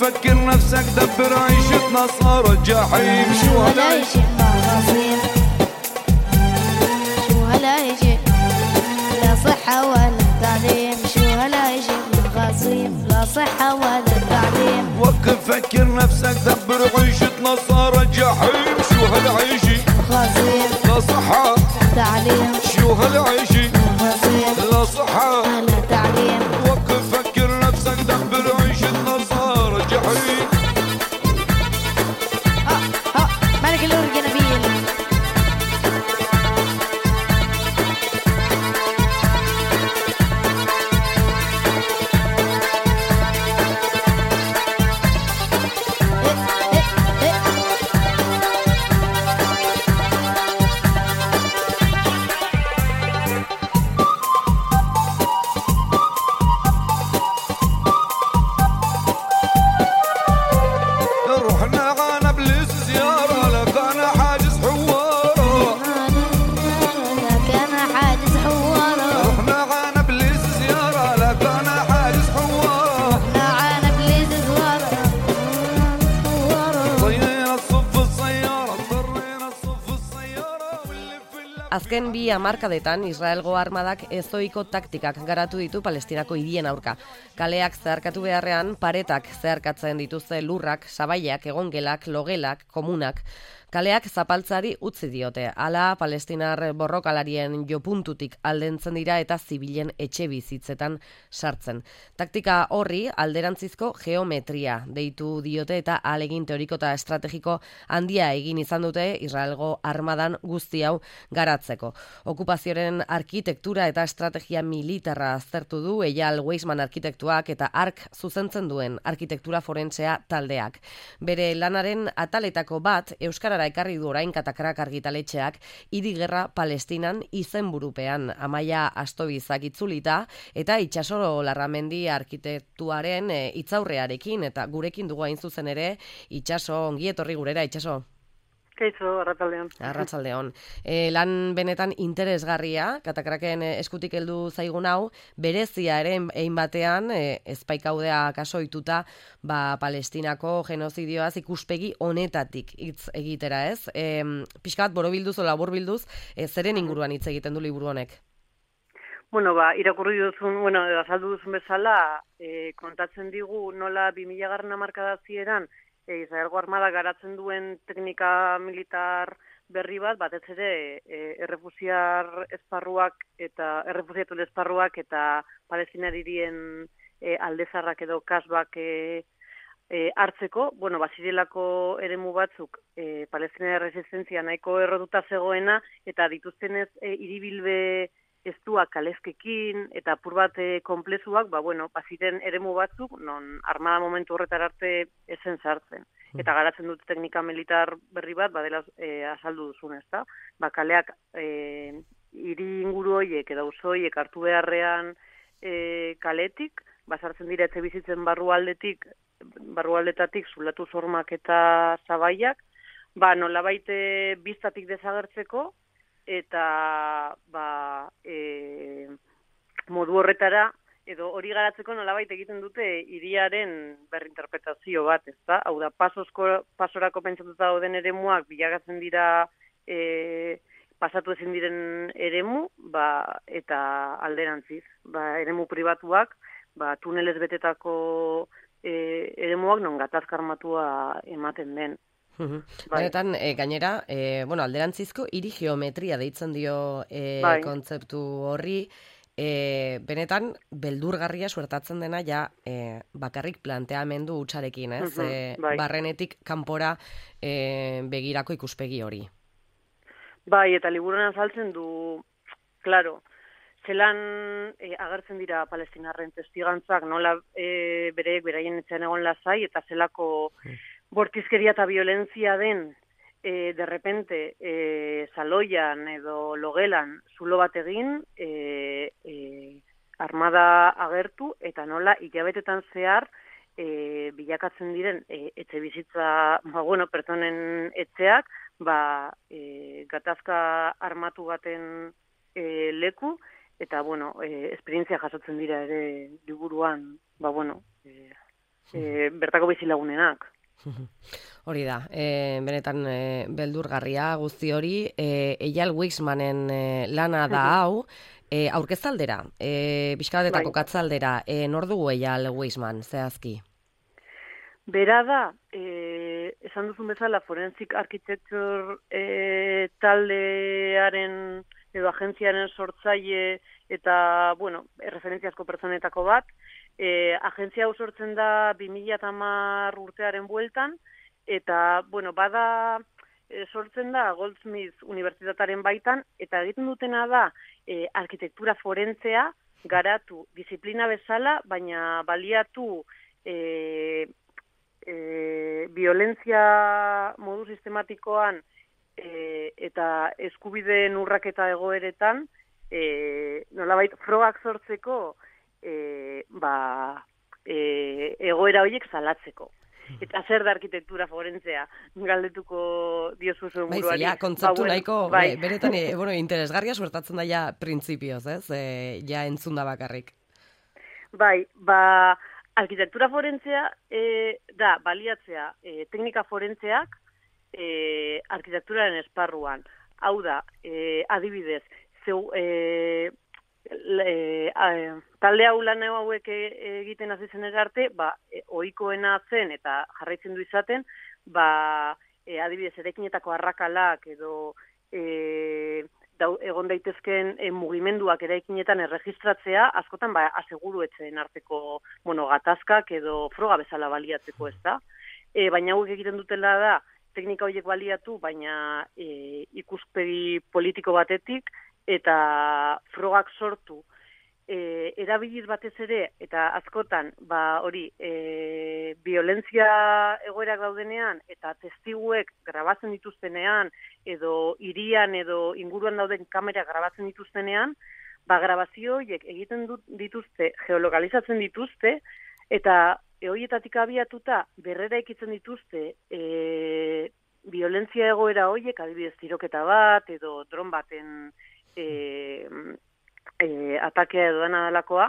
فكر نفسك دبر عيشتنا صار الجحيم شو هالعيش الغصيب شو هالعيش لا صحة ولا تعليم شو هالعيش الغصيب لا صحة ولا تعليم وقف فكر نفسك دبر عيشتنا صار الجحيم شو هالعيش غصيب لا صحة تعليم شو هالعيش غصيب لا صحة ولا تعليم وقف فكر نفسك دبر عيشتنا صار الجحيم ملك الأورج نبيل رحنا غانا بليس زيارة لكان حاجز حوارة كان حاجز حوارة رحنا غانا بليس زيارة لكان حاجز حوارة نعانا بليز زوارة طينا الصف السيارة اضطرينا الصف السيارة واللي في اللف Azken bi hamarkadetan Israelgo armadak ezoiko taktikak garatu ditu Palestinako hirien aurka. Kaleak zeharkatu beharrean paretak zeharkatzen dituzte lurrak, sabaiak, egongelak, logelak, komunak. Kaleak zapaltzari utzi diote. Hala palestinar borrokalarien jopuntutik aldentzen dira eta zibilen etxe bizitzetan sartzen. Taktika horri alderantzizko geometria deitu diote eta ahalegin teoriko eta estrategiko handia egin izan dute Israelgo armadan guzti hau garatzeko. Okupazioaren arkitektura eta estrategia militarra aztertu du Eyal Weizmann arkitektuak eta ark zuzentzen duen arkitektura forensea taldeak. Bere lanaren ataletako bat euskarara ekarri du orain Katakrak argitaletxeak hiri gerra Palestinan izenburupean Amaia Astobizak itzulita eta Itxaso Larramendi arkitektuaren hitzaurrearekin eta gurekin dugu hain zuzen ere Itxaso, ongi etorri gurera Itxaso. Kaixo, arratsaldeon. Arratsaldeon. Lan benetan interesgarria, Katakraken eskutik heldu zaigun hau, berezia ere egin batean, ezpaikaudea kasoituta, Palestinako genozidioaz ikuspegi honetatik hitz egitera, ez? Pixka bat borobilduz o laburbilduz, zeren inguruan hitz egiten du liburu honek? Bueno, irakurri duzun, azaldu duzun bezala, kontatzen digu nola 2000 hamarkada hasieran Israelgo armada garatzen duen teknika militar berri bat, batez ere errefusiar esparruak eta errefusiatuen esparruak eta Palestinar hirien aldezarrak edo kasbak hartzeko, bazirelako eremu batzuk Palestinar resistentzia nahiko errotuta zegoena eta dituztenez hiribilbe estuak kalezkekin eta apur bat konplezuak, baziren eremu batzuk non armada momentu horretar arte esen sartzen. Eta garatzen dute teknika militar berri bat, badela azaldu duzun, ezta? Kaleak hiri inguru horiek edo auzo horiek hartu beharrean kaletik, sartzen dira etxe bizitzen barrualdetatik zulatu zormak eta zabaiak, nolabait biztatik desagertzeko, eta modu horretara edo hori garatzeko nolabait egiten dute hiriaren berrinterpretazio bat, ezta? Hau da, pasorako pentsatuta dauden eremuak bilakatzen dira pasatu ezin diren eremu, eta alderantziz, eremu pribatuak, tunelez betetako eremuak non gatazka armatua ematen den. Benetan, gainera, alderantzizko hiri geometria deitzen dio kontzeptu horri, benetan, beldurgarria suertatzen dena bakarrik planteamendu hutsarekin, ez? Barrenetik kanpora begirako ikuspegi hori. Eta liburuan azaltzen du, klaro, zelan agertzen dira palestinarren testigantzak, nola beraien etxean egon lasai, eta zelako bortizkeria eta violentzia den, de repente, saloian edo logelan zulo bat egin, armada agertu, eta nola hilabetetan zehar bilakatzen diren etxe bizitza, pertsonen etxeak, gatazka armatu baten leku, eta, esperientzia jasotzen dira ere liburuan, bertako bizilagunenak. Hori da, benetan beldurgarria guzti hori, Eyal Weixmanen lana da hau, aurkezaldera, pixka kokatzaldera, nor dugu Eyal Weixman, zehazki? Bera da, esan duzun bezala, Forensic Architecture taldearen edo agentziaren sortzaile eta, bueno, referentziazko pertsonetako bat. Agentzia hau sortzen da 2010 urtearen bueltan, eta, bueno, bada sortzen da Goldsmith Unibertsitataren baitan, eta egiten dutena da arkitektura forentzea garatu disiplina bezala, baina baliatu violentzia modu sistematikoan eta eskubideen urraketa egoeretan nolabait frogak sortzeko egoera horiek salatzeko. Eta zer da arkitektura forentzea, galdetuko diozu zuen buruari. Bai, kontzeptu nahiko, beretan, interesgarria suertatzen da ja printzipioz, ez? Ja entzun da bakarrik. Bai, arkitektura forentzea da baliatzea teknika forentzeak arkitekturaren esparruan. Hau da, adibidez, talde hau lan hauek egiten hasi zen arte, ohikoena zen eta jarraitzen du izaten, adibidez, eraikinetako arrakalak edo egon daitezken mugimenduak eraikinetan erregistratzea, askotan aseguruetzen arteko gatazkak edo froga bezala baliatzeko, ez da? Baina hauek egiten dutela da, teknika horiek baliatu, baina ikuspegi politiko batetik, eta frogak sortu erabiliz batez ere, eta askotan, violentzia egoerak daudenean, eta testiguek grabatzen dituztenean, edo hirian edo inguruan dauden kamera grabatzen dituztenean, grabazio horiek egiten dituzte, geolokalizatzen dituzte, eta horietatik abiatuta berrera ikitzen dituzte violentzia egoera horiek, adibidez tiroketa bat, edo dron baten atakea edo dana dalakoa,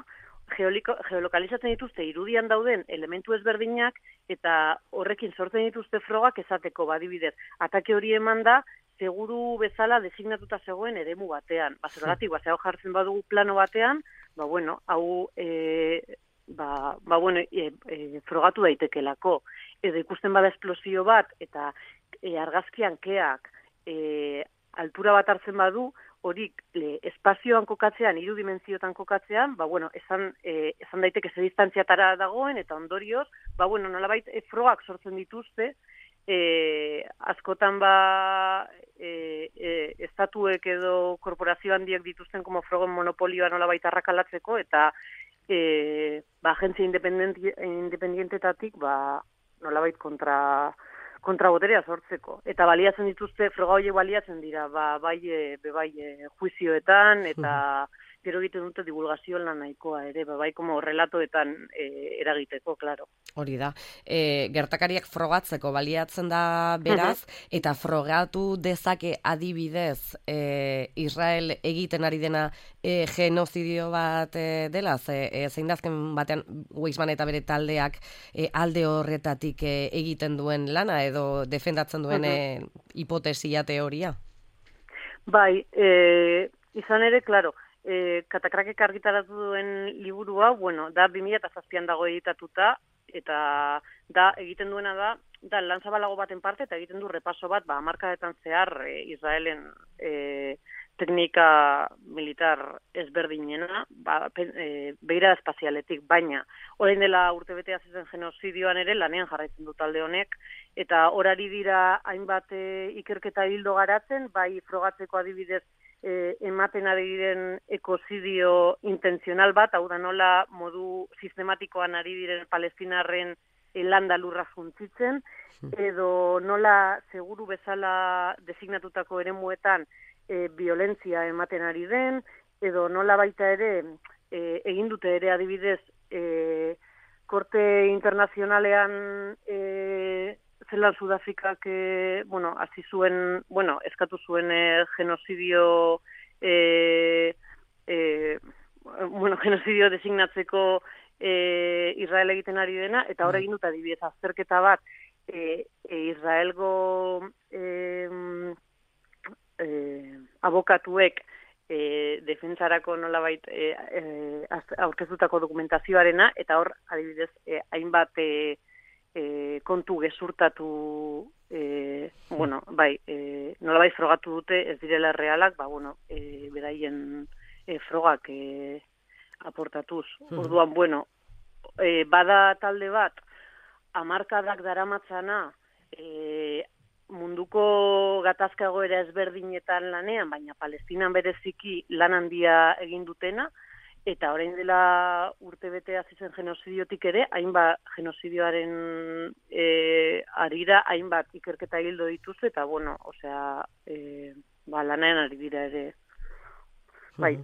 geolokalizatzen dituzte irudian dauden elementu ezberdinak eta horrekin sortzen dituzte frogak esateko, adibidez, atake hori eman da seguru bezala designatuta zegoen eremu batean. Zergatik, hau jartzen badugu plano batean, hau frogatu daitekelako. Edo ikusten bada esplosio bat eta argazkian keak altura bat hartzen badu, horik espazioan kokatzean, 3 dimentsiotan kokatzean, esan daiteke ze distantziatara dagoen, eta ondorioz, nolabait frogak sortzen dituzte, askotan estatuek edo korporazio handiek dituzten como frogen monopolioa nolabait arrakalatzeko, eta agentzia independientetatik nolabait kontraboterea sortzeko. Eta baliatzen dituzte, froga horiek baliatzen dira, juizioetan, eta gero egiten dute divulgazio lan nahikoa ere, como relatoetan eragiteko, klaro. Hori da. Gertakariak frogatzeko baliatzen da beraz, eta frogatu dezake adibidez Israel egiten ari dena genozidio bat dela, zein dazken batean Weixman eta bere taldeak alde horretatik egiten duen lana edo defendatzen duen hipotesia teoria? Bai, izan ere, klaro, Katakrakek argitaratu duen liburua, da 2007an dago editatuta, eta egiten duena da lan zabalago baten parte, eta egiten du repaso bat, hamarkadetan zehar Israelen teknika militar ezberdinena, begira espazialetik, baina orain dela urtebete hasi zen genozidioan ere lanean jarraitzen du talde honek, eta horari dira hainbat ikerketa hildo garatzen, bai frogatzeko adibidez ematen ari diren ekozidio intenzional bat, hau da nola modu sistematikoan ari diren palestinarren landa lurra juntzitzen, edo nola seguru bezala designatutako eremuetan violentzia ematen ari den, edo nola baita ere egin dute ere adibidez korte internazionalean zelan Sudafrikak hasi zuen, eskatu zuen genozidio genozidio designatzeko Israel egiten ari dena, eta hor egin dut adibidez azterketa bat Israelgo abokatuek defentsarako nolabait aurkeztutako dokumentazioarena, eta hor adibidez hainbat kontu gezurtatu nolabait frogatu dute ez direla realak, beraien frogak aportatuz. Orduan, bada talde bat, hamarkadak daramatzana munduko gatazka egoera ezberdinetan lanean, baina Palestinan bereziki lan handia egin dutena, eta orain dela urtebete hasi zen genozidiotik ere, hainbat genozidioaren arira, hainbat ikerketa hildo dituzte, eta lanean ari dira ere. Bai.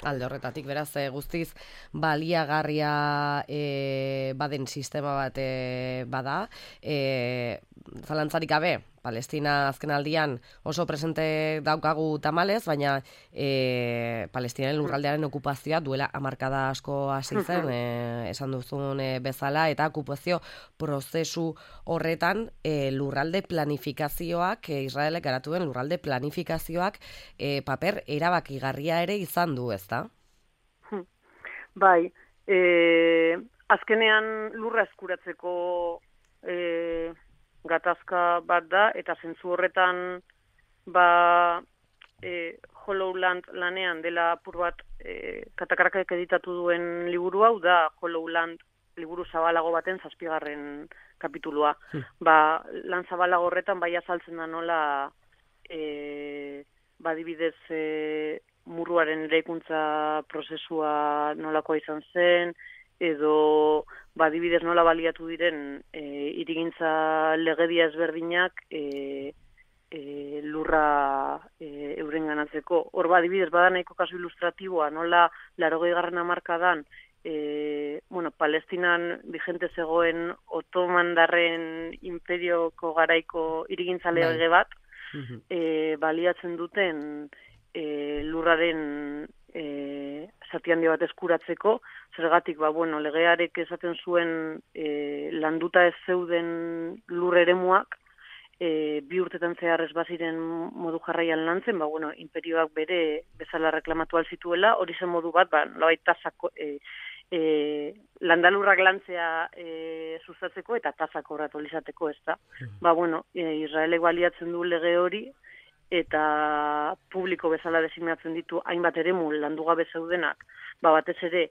Alde horretatik, beraz, guztiz baliagarria baden sistema bat bada. Zalantzarik gabe, Palestina azken aldian oso presente daukagu tamalez, baina Palestinaren lurraldearen okupazioa duela hamarkada asko hasi zen, esan duzun bezala, eta okupazio prozesu horretan lurralde planifikazioak, Israelek garatu den lurralde planifikazioak paper erabakigarria ere izan du, ezta? Bai, azkenean lurra eskuratzeko gatazka bat da, eta zentzu horretan Hollow Land lanean dela apur bat Katakarakak editatu duen liburu hau da Hollow Land liburu zabalago baten 7. kapitulua. Lan zabalago horretan bai azaltzen da nola adibidez muruaren eraikuntza prozesua nolakoa izan zen, edo adibidez nola baliatu diren hirigintza legedia ezberdinak lurra eurenganatzeko. Hor adibidez bada nahiko kasu ilustratiboa, nola 80. hamarkadan Palestinan vigente zegoen otomandarren imperioko garaiko hirigintza lege bat, baliatzen duten lurraren zati handi bat eskuratzeko, zergatik, legearek esaten zuen landuta ez zeuden lur eremuak, 2 urtetan zehar ez baziren modu jarraian lantzen, imperioak bere bezala reklamatu alzituela, hori zen modu bat, nolabait tasako, landalurrak lantzea sustatzeko eta tasak kobratu izateko, ez da. Israelek baliatzen du lege hori, eta publiko bezala designatzen ditu hainbat eremu landugabe zeudenak, batez ere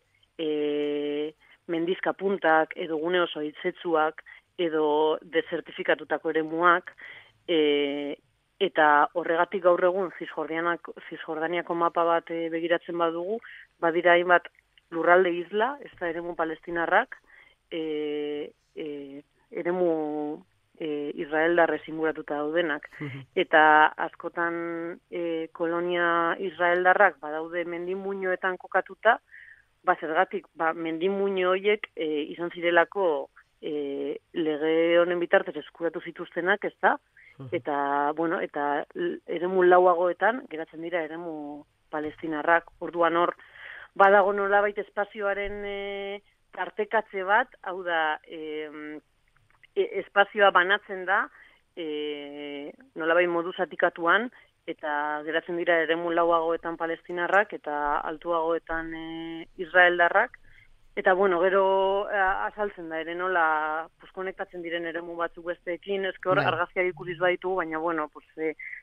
mendizka puntak, edo gune oso hitzetzuak, edo desertifikatutako eremuak, eta horregatik gaur egun Cisjordaniako mapa bat begiratzen badugu, badira hainbat lurralde isla, ez da eremu palestinarrak, eremu israeldarrez inguratuta daudenak. Eta askotan kolonia israeldarrak badaude mendimuinoetan kokatuta, zergatik, mendimuino horiek izan zirelako lege honen bitartez eskuratu zituztenak, ez da? Eta eremu lauagoetan geratzen dira eremu palestinarrak. Orduan hor, badago nolabait espazioaren tartekatze bat, hau da, espazioa banatzen da, nolabait modu zatikatuan, eta geratzen dira eremu lauagoetan palestinarrak eta altuagoetan israeldarrak. Eta, gero azaltzen da, ere nola konektatzen diren eremu batzuk besteekin, ezke hor argazkiak ikusiz baditugu, baina,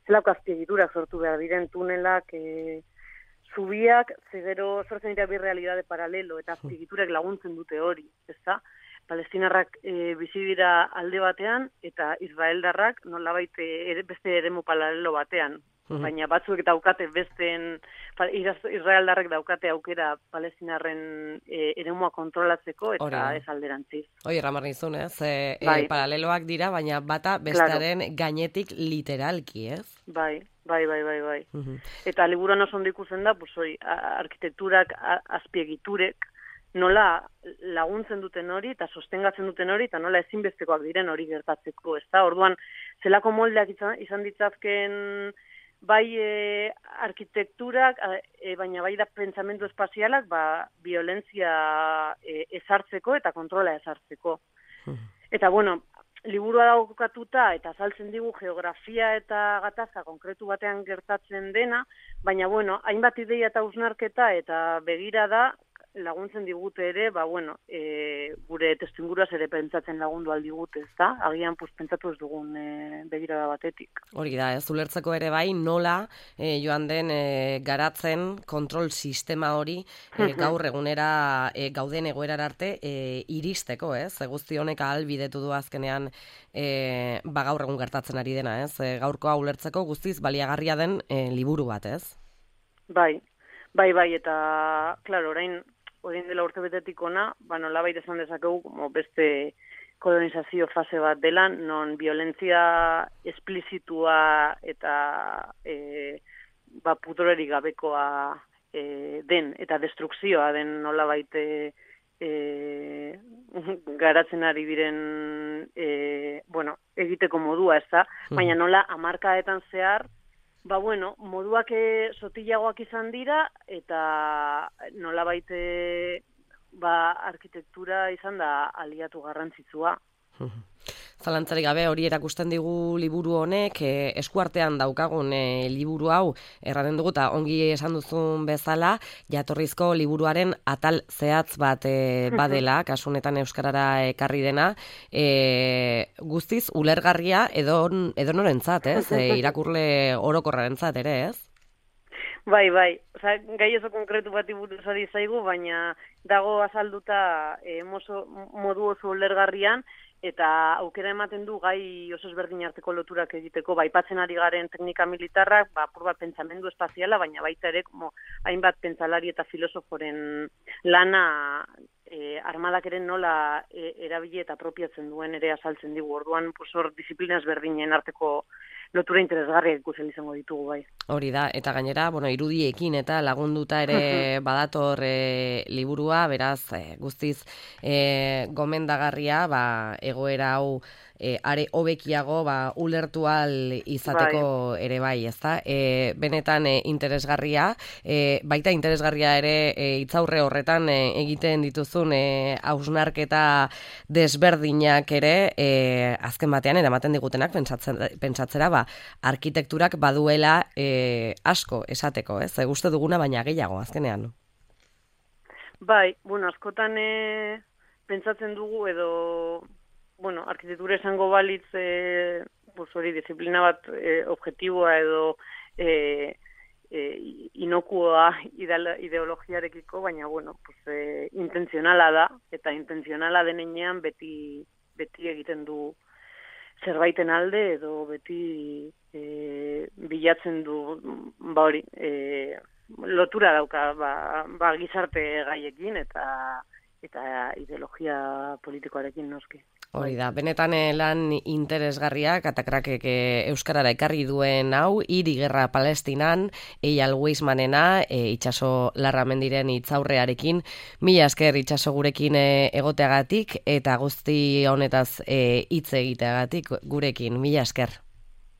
zelako azpiegiturak sortu behar diren tunelak, zubiak, gero sortzen dira bi realitate paralelo, eta azpiegiturek laguntzen dute hori, ezta? Palestinarrak bizi dira alde batean, eta israeldarrak nolabait beste eremu paralelo batean. Baina batzuek daukate israeldarrek daukate aukera palestinarren eremua kontrolatzeko eta ez alderantziz. Hoi, ramar nizun, ez? Paraleloak dira, baina bata bestearen gainetik literalki, ez? Bai. Eta liburuan oso ondo ikusten da, arkitekturak, azpiegiturek, nola laguntzen duten hori eta sostengatzen duten hori eta nola ezinbestekoak diren hori gertatzeko, ezta? Orduan, zelako moldeak izan ditzazken bai arkitekturak, baina bai da pentsamendu espazialak, violentzia ezartzeko eta kontrola ezartzeko. Eta, bueno, liburua daukatuta eta azaltzen digu geografia eta gatazka konkretu batean gertatzen dena, baina, bueno, hainbat ideia eta hausnarketa eta begirada laguntzen digute ere, gure testuinguruaz ere pentsatzen lagundu aldigute, ezta? Agian pentsatu ez dugun begirada batetik. Hori da, ez ulertzeko ere bai nola joan den garatzen kontrol sistema hori gaur egunera gauden egoerara arte iristeko, ez? Guzti honek ahalbidetu du azkenean gaur egun gertatzen ari dena, ez? Gaurkoa ulertzeko guztiz baliagarria den liburu bat, ez? Bai, eta, klaro, orain dela urtebetetik ona, nolabait esan dezakegu, beste kolonizazio fase bat dela, non violentzia esplizitua eta putorerik gabekoa den, eta destrukzioa den nolabait garatzen ari diren egiteko modua, ez da? Baina nola hamarkadetan zehar, moduak sotilagoak izan dira, eta nolabait arkitektura izan da aliatu garrantzitsua. Zalantzarik gabe hori erakusten digu liburu honek, eskuartean daukagun liburu hau, erraten dugu eta ongi esan duzun bezala, jatorrizko liburuaren atal zehatz bat badela, kasunetan euskarara ekarri dena, guztiz ulergarria edo norentzat, ez? Irakurle orokorrarentzat ere, ez? Bai, osea, gai oso konkretu bati buruz ari zaigu, baina dago azalduta modu oso ulergarrian, eta aukera ematen du gai oso ezberdin arteko loturak egiteko, aipatzen ari garen teknika militarrak, apur bat pentsamendu espaziala, baina baita ere, hainbat pentsalari eta filosoforen lana armadak ere nola erabili eta apropiatzen duen ere azaltzen digu. Orduan, hor disiplina ezberdinen arteko lotura interesgarriak ikusten izango ditugu, bai. Hori da, eta gainera, irudiekin eta lagunduta ere badator liburua, beraz, guztiz gomendagarria, egoera hau are hobekiago ulertu ahal izateko ere bai, ezta? Benetan interesgarria, baita interesgarria ere hitzaurre horretan egiten dituzun hausnarketa desberdinak ere azken batean eramaten digutenak pentsatzera arkitekturak baduela asko esateko, ez? Gustu duguna baina gehiago azkenean. Bai, askotan pentsatzen dugu edo arkitektura esango balitz hori disiplina bat objektiboa edo inokuoa ideologiarekiko, baina intenzionala da, eta intenzionala denean beti egiten du zerbaiten alde edo beti bilatzen du lotura dauka gizarte gaiekin eta ideologia politikoarekin noski. Hori da, benetan lan interesgarria, Katakrakek euskarara ekarri duen hau, Hiri Gerra Palestinan, Eyal Weizmannena, Itxaso Larramendiren hitzaurrearekin, mila esker Itxaso gurekin egoteagatik, eta guzti honetaz hitz egiteagatik gurekin, mila esker.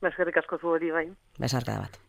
Eskerrik asko zu hori bai. Besarkada bat.